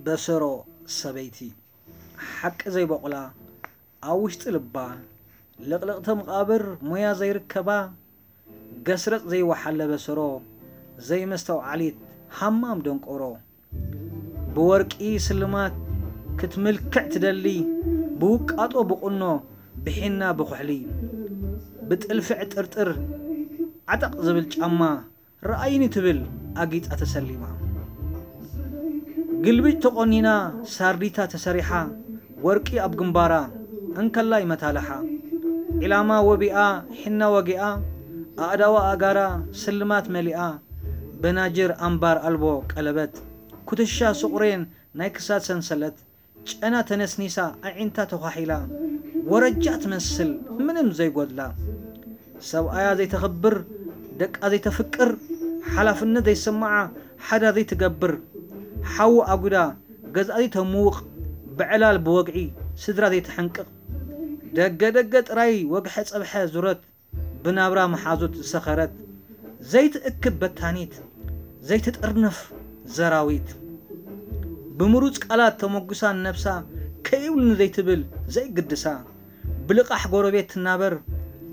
በሰሮ ሰበይቲ ሓቂ ዘይበቑላ ኣብ ውሽጢ ልባ ልቕልቕቲ መቓብር ሞያ ዘይርከባ ገስረጥ ዘይወሓለ በሰሮ ዘይመስተውዓሊት ሃማም ደንቆሮ ብወርቂ ስልማት ክትምልክዕ ትደሊ ብውቃጦ ብቑኖ ብሒና ብኹሕሊ ብጥልፊ ዕጥርጥር ዓጠቕ ዝብል ጫማ ረኣይኒ ትብል ኣጊጻ ተሰሊማ ግልብጭ ተቖኒና ሳርዲታ ተሰሪሓ ወርቂ ኣብ ግንባራ እንከላይ መታልሓ ዒላማ ወቢኣ ሒና ወጊኣ ኣእዳዋ ኣእጋራ ስልማት መሊኣ በናጅር ኣምባር ኣልቦ ቀለበት ኩትሻ ስቑሬን ናይ ክሳድ ሰንሰለት ጨና ተነስኒሳ ኣዒንታ ተዃሒላ ወረጃ ትመስል ምንም ዘይጎድላ ሰብኣያ ዘይተኽብር ደቃ ዘይተፍቅር ሓላፍነት ዘይሰማዓ ሓዳ ዘይትገብር ሓዊ ኣጉዳ ገዝኣ ዘይተምውቕ ብዕላል ብወግዒ ስድራ ዘይተሐንቅቕ ደገ ደገ ጥራይ ወግሐ ጸብሐ ዙረት ብናብራ መሓዙት ዝሰኸረት ዘይትእክብ በታኒት ዘይትጥርንፍ ዘራዊት ብምሩፅ ቃላት ተመጉሳ ንነብሳ ከይብሉኒ ዘይትብል ዘይግድሳ ብልቓሕ ጎረቤት ትናበር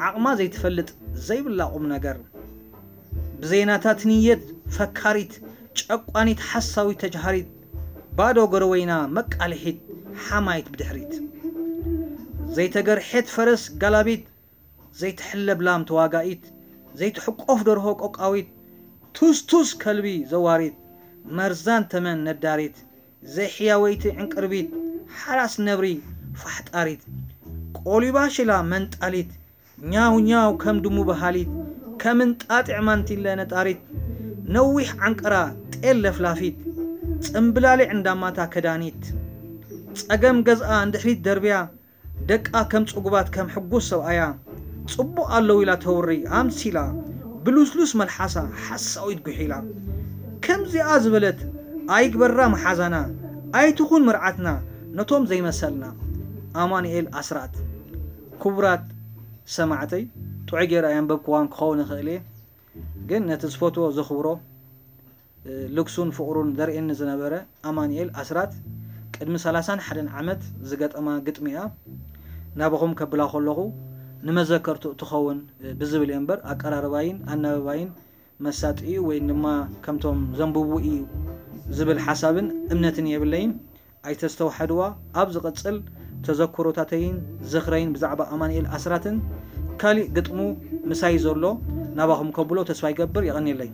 ዓቕማ ዘይትፈልጥ ዘይብላ ቁም ነገር ብዘይናታ ትንየት ፈካሪት ጨቋኒት ሓሳዊት ተጅሃሪት ባዶ ገረወይና መቃልሒት ሓማይት ብድሕሪት ዘይተገርሐት ፈረስ ጋላቢት ዘይትሕለብ ላም ተዋጋኢት ዘይትሕቆፍ ደርሆ ቆቃዊት ቱስቱስ ከልቢ ዘዋሪት መርዛን ተመን ነዳሪት ዘይሕያወይቲ ዕንቅርቢት ሓራስ ነብሪ ፋሕጣሪት ቆሊባ ሽላ መንጣሊት ኛው ኛው ከም ድሙ በሃሊት ከም እንጣጢዕ ማንቲለ ነጣሪት ነዊሕ ዓንቀራ ጤል ለፍላፊት ጽምብላሊዕ እንዳማታ ከዳኒት ጸገም ገዝኣ እንድሕሪት ደርብያ ደቃ ከም ጽጉባት ከም ሕጉስ ሰብኣያ ጽቡቕ ኣለዉ ኢላ ተውሪ ኣምሲላ ብሉስሉስ መልሓሳ ሓሳዊት ጉሒላ ከምዚኣ ዝበለት ኣይግበራ መሓዛና ኣይትኹን መርዓትና ነቶም ዘይመሰልና ኣማኑኤል ኣስራት ክቡራት ሰማዕተይ ጥዑይ ገይረ ኣየንበብክዋን ክኸውን ይኽእል እየ ግን ነቲ ዝፈትዎ ዘኽብሮ ልግሱን ፍቕሩን ዘርእየኒ ዝነበረ ኣማኑኤል ኣስራት ቅድሚ ሰላሳን ሓደን ዓመት ዝገጠማ ግጥሚ እያ። ናባኹም ከብላ ከለኹ ንመዘከርትኡ ትኸውን ብዝብል እየ እምበር ኣቀራርባይን ኣናብባይን መሳጢ እዩ ወይ ድማ ከምቶም ዘንብቡ እዩ ዝብል ሓሳብን እምነትን የብለይን። ኣይተስተውሓድዋ ኣብ ዝቕጽል ተዘክሮታተይን ዝኽረይን ብዛዕባ ኣማኑኤል ኣስራትን ካሊእ ግጥሙ ምሳይ ዘሎ ናባኹም ከብሎ ተስፋ ይገብር። የቐንየለይ።